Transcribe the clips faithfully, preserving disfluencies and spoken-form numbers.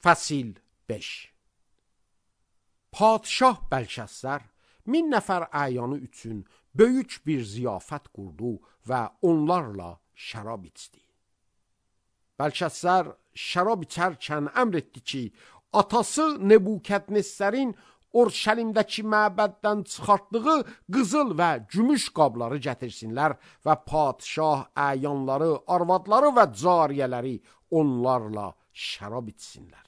Fəsil beş. Padşah Bəlşəssər min nəfər əyanı üçün böyük bir ziyafət qurdu və onlarla şərab içdi. Bəlşəssər şərab içərkən əmr etdi ki, atası Nebukadnezərin Orşəlimdəki məbəddən çıxartdığı qızıl və gümüş qabları gətirsinlər və padşah əyanları, arvadları və cariyələri onlarla şərab içsinlər.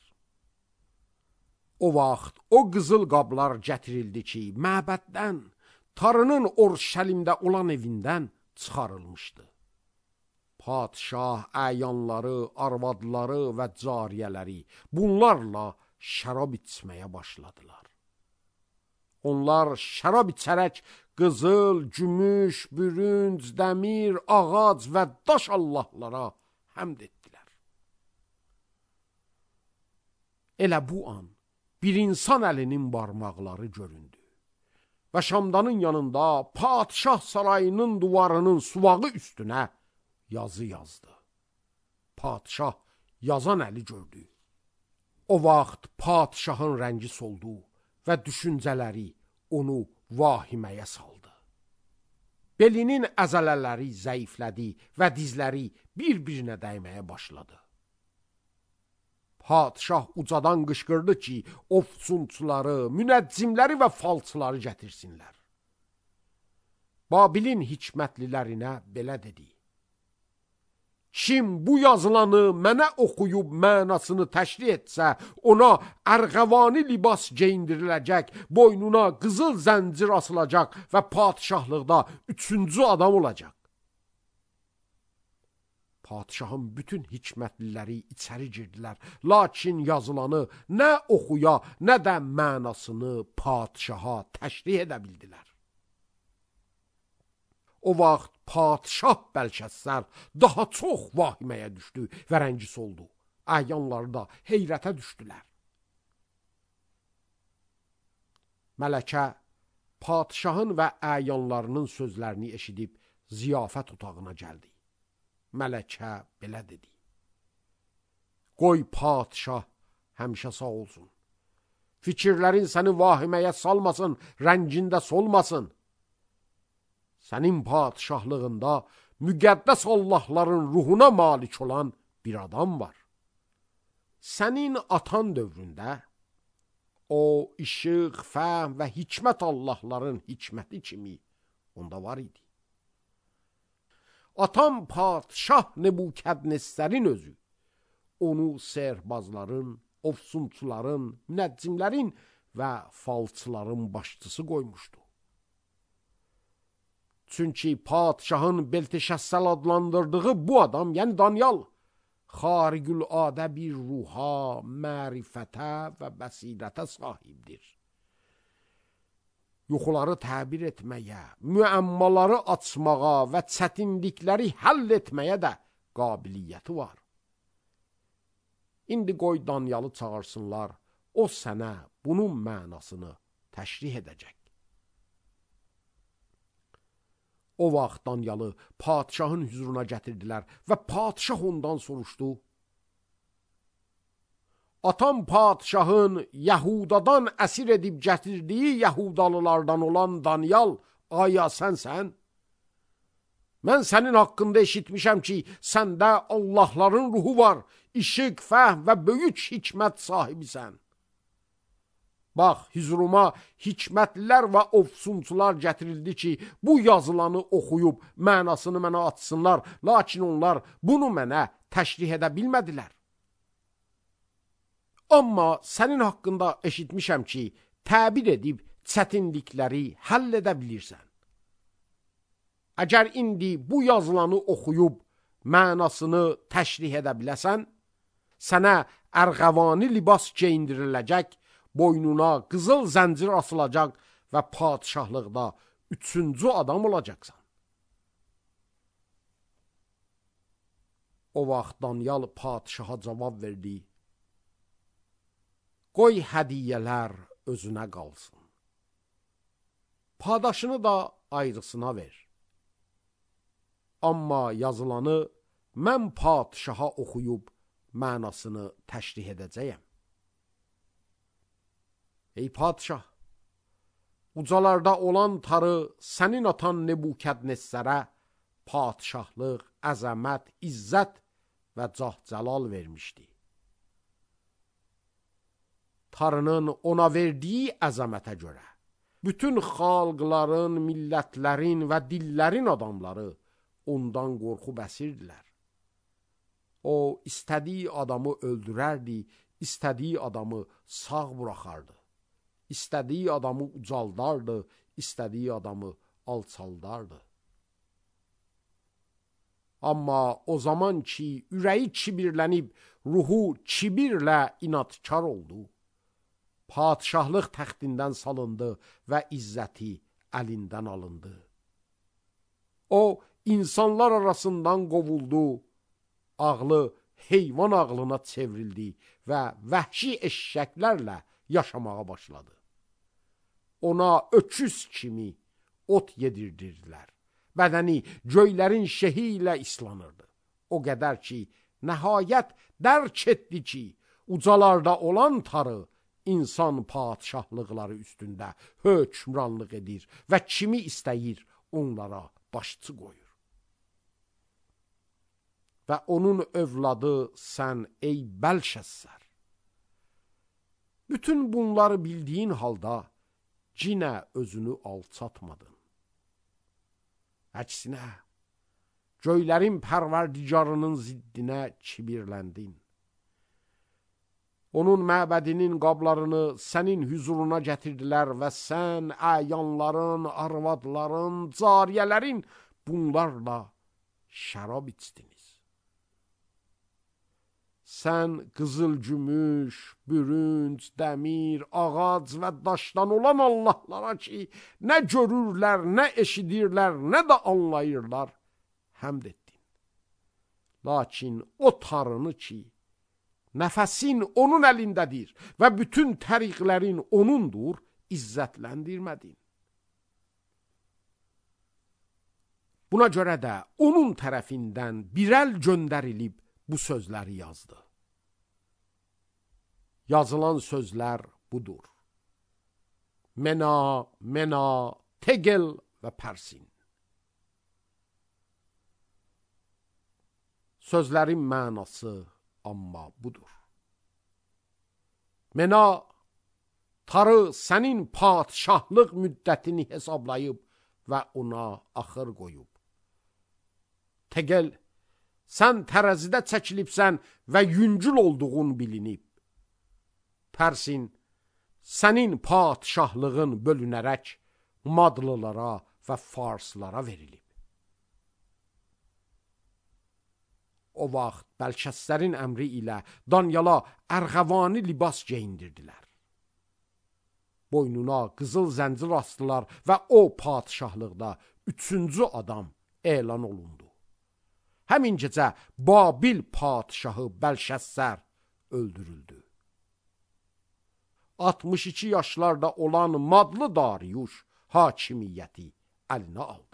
O vaxt o qızıl qablar gətirildi ki, məbəddən, tarının Orşəlimdə olan evindən çıxarılmışdı. Padşah əyanları, arvadları və cariyələri bunlarla şərab içməyə başladılar. Onlar şərab içərək qızıl, gümüş, bürünc, dəmir, ağac və daş allahlara həmd etdilər. Elə bu an bir insan əlinin barmaqları göründü və şamdanın yanında padşah sarayının duvarının suvağı üstünə yazı yazdı. Padşah yazan əli gördü. O vaxt padşahın rəngi soldu və düşüncələri onu vahiməyə saldı. Belinin əzələləri zəiflədi və dizləri bir-birinə dəyməyə başladı. Padşah ucadan qışqırdı ki, ofsunçuları, münəccimləri və falçıları gətirsinlər. Babilin hikmətlilərinə belə dedi: Kim bu yazılanı mənə oxuyub mənasını təşrih etsə, ona ərğəvani libas geyindiriləcək, boynuna qızıl zəncir asılacaq və padşahlıqda üçüncü adam olacaq. Padşahın bütün hikmətliləri içəri girdilər, lakin yazılanı nə oxuya, nə də mənasını padşaha təşrih edə bildilər. O vaxt padşah Bəlşəssər daha çox vahiməyə düşdü və rəngi soldu. Əyanları da heyrətə düşdülər. Mələkə padşahın və əyanlarının sözlərini eşidib ziyafət otağına gəldi. Mələkə belə dedi: Qoy padşah həmişə sağ olsun. Fikirlərin səni vahiməyə salmasın, rəngində solmasın. Sənin padşahlığında müqəddəs Allahların ruhuna malik olan bir adam var. Sənin atan dövründə o işıq, fəhm və hikmət Allahların hikməti kimi onda var idi. Atam padşah Nebukadnezərin özü onu sehrbazların, ofsunçuların, münəccimlərin və falçıların başçısı qoymuşdu. Çünki padşahın Belteşəssəl adlandırdığı bu adam, yəni Danyal, xarigüladə bir ruha, mərifətə və bəsirətə sahibdir. Yuxuları təbir etməyə, müəmmaları açmağa və çətinlikləri həll etməyə də qabiliyyəti var. İndi qoy Danyalı çağırsınlar, o sənə bunun mənasını təşrih edəcək. O vaxt Danyalı padşahın hüzuruna gətirdilər və padşah ondan soruşdu: Atam padşahın Yahudadan əsir edib gətirdiyi Yahudalılardan olan Danyal, aya sənsən? Mən sənin haqqında eşitmişəm ki, səndə Allahların ruhu var, işıq, fəhm və böyük hikmət sahibisən. Bax, hüzuruma hikmətlilər və ofsunçular gətirildi ki, bu yazılanı oxuyub mənasını mənə atsınlar, lakin onlar bunu mənə təşrih edə bilmədilər. Amma sənin haqqında eşitmişəm ki, təbir edib çətinlikləri həll edə bilirsən. Əgər indi bu yazılanı oxuyub mənasını təşrih edə biləsən, sənə ərğəvani libas geyindiriləcək, boynuna qızıl zəncir asılacaq və padşahlıqda üçüncü adam olacaqsan. O vaxt Danyal padşaha cavab verdi: Qoy hədiyyələr özünə qalsın. Padaşını da ayrısına ver. Amma yazılanı mən padşaha oxuyub mənasını təşrih edəcəyəm. Ey padşah, ucalarda olan tarı sənin atan Nebukadnessərə padşahlıq, əzəmət, izzət və cah-cəlal vermişdi. Tarının ona verdiyi əzəmətə görə bütün xalqların, millətlərin və dillərin adamları ondan qorxub əsirdilər. O, istədiyi adamı öldürərdi, istədiyi adamı sağ buraxardı. İstədiyi adamı ucaldardı, istədiyi adamı alçaldardı. Amma o zaman ki, ürəyi kibirlənib, ruhu kibirlə inadkar oldu, padşahlıq təxtindən salındı və izzəti əlindən alındı. O, insanlar arasından qovuldu, ağlı heyvan ağlına çevrildi və vəhşi eşşəklərlə yaşamağa başladı. Ona öküz kimi ot yedirdirdilər. Bədəni göylərin şehi ilə islanırdı. O qədər ki, nəhayət dərk etdi ki, ucalarda olan tarı insan padşahlıqları üstündə hökmranlıq edir və kimi istəyir onlara başçı qoyur. Və onun övladı sən ey Bəlşəssər. Bütün bunları bildiyin halda cinə özünü alçatmadın. Əksinə, göylərin pərverdigarının ziddinə kibirləndin. Onun məbədinin qablarını sənin hüzuruna gətirdilər və sən əyanların, arvadların, cariyələrin bunlarla şərab içdiniz. Sən qızıl gümüş, bürünc, dəmir, ağac və daşdan olan Allahlara ki, nə görürlər, nə eşidirlər, nə də anlayırlar, həmd etdin. Lakin o tarını ki, nəfəsin onun əlindədir və bütün təriqlərin onundur, izzətləndirmədin. Buna görə də onun tərəfindən bir əl göndərilib bu sözləri yazdı. Yazılan sözlər budur. Mena, Mena, Tegel və Pərsin. Sözlərin mənası amma budur. Mena, tarı sənin padşahlıq müddətini hesablayıb və ona axır qoyub. Tegel, sən tərəzidə çəkilibsən və yüngül olduğun bilinib. Pərsin, sənin padşahlığın bölünərək madlılara və farslara verilib. O vaxt Bəlşəssərin əmri ilə Danyala ərğəvani libas geyindirdilər. Boynuna qızıl zəncir astılar və o padşahlıqda üçüncü adam elan olundu. Həmin gecə Babil padşahı Bəlşəssər öldürüldü. altmış iki yaşlarda olan Madlı Dariyuş hakimiyyəti əlinə aldı.